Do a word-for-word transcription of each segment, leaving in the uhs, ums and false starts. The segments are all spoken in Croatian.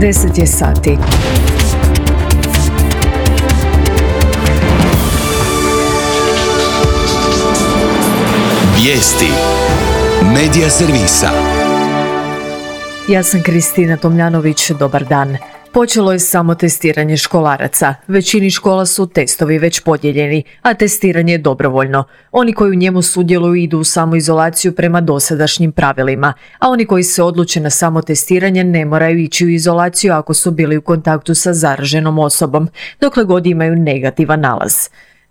deset je sati. Vijesti Medija servisa. Ja sam Kristina Tomljanović, dobar dan. Počelo je samo testiranje školaraca. Većini škola su testovi već podijeljeni, a testiranje je dobrovoljno. Oni koji u njemu sudjeluju idu u samoizolaciju prema dosadašnjim pravilima, a oni koji se odluče na samotestiranje ne moraju ići u izolaciju ako su bili u kontaktu sa zaraženom osobom, dokle god imaju negativan nalaz.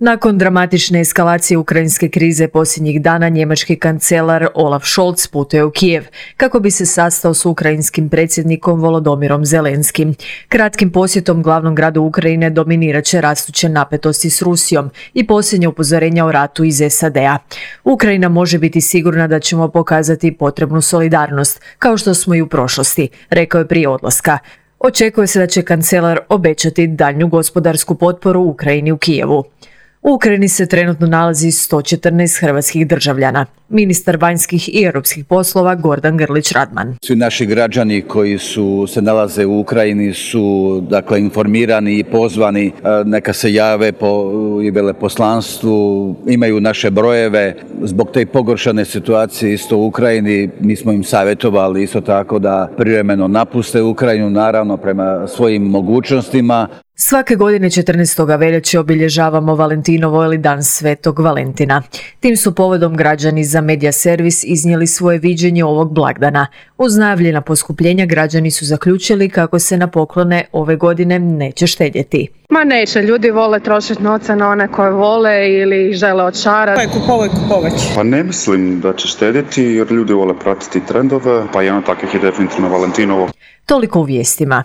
Nakon dramatične eskalacije ukrajinske krize posljednjih dana, njemački kancelar Olaf Scholz putuje u Kijev kako bi se sastao s ukrajinskim predsjednikom Volodomirom Zelenskim. Kratkim posjetom glavnom gradu Ukrajine dominirat će rastuće napetosti s Rusijom i posljednje upozorenja o ratu iz S A D-a. Ukrajina može biti sigurna da ćemo pokazati potrebnu solidarnost, kao što smo i u prošlosti, rekao je prije odlaska. Očekuje se da će kancelar obećati daljnju gospodarsku potporu Ukrajini u Kijevu. U Ukrajini se trenutno nalazi sto četrnaest hrvatskih državljana. Ministar vanjskih i europskih poslova Gordan Grlić Radman. Svi naši građani koji su se nalaze u Ukrajini su dakle informirani i pozvani neka se jave po i veleposlanstvu, imaju naše brojeve. Zbog te pogoršane situacije isto u Ukrajini mi smo im savjetovali isto tako da privremeno napuste Ukrajinu, naravno prema svojim mogućnostima. Svake godine četrnaestog veljače obilježavamo Valentinovo ili Dan Svetog Valentina. Tim su povodom građani za Medija servis iznijeli svoje viđenje ovog blagdana. Uz najavljena poskupljenja građani su zaključili kako se na poklone ove godine neće štedjeti. Ma neće, ljudi vole trošiti novce na one koje vole ili žele odšarati. Pa je kupovoj kupovać. Pa ne mislim da će štedjeti jer ljudi vole pratiti trendove, pa jedan od takvih je definitivno Valentinovo. Toliko u vijestima.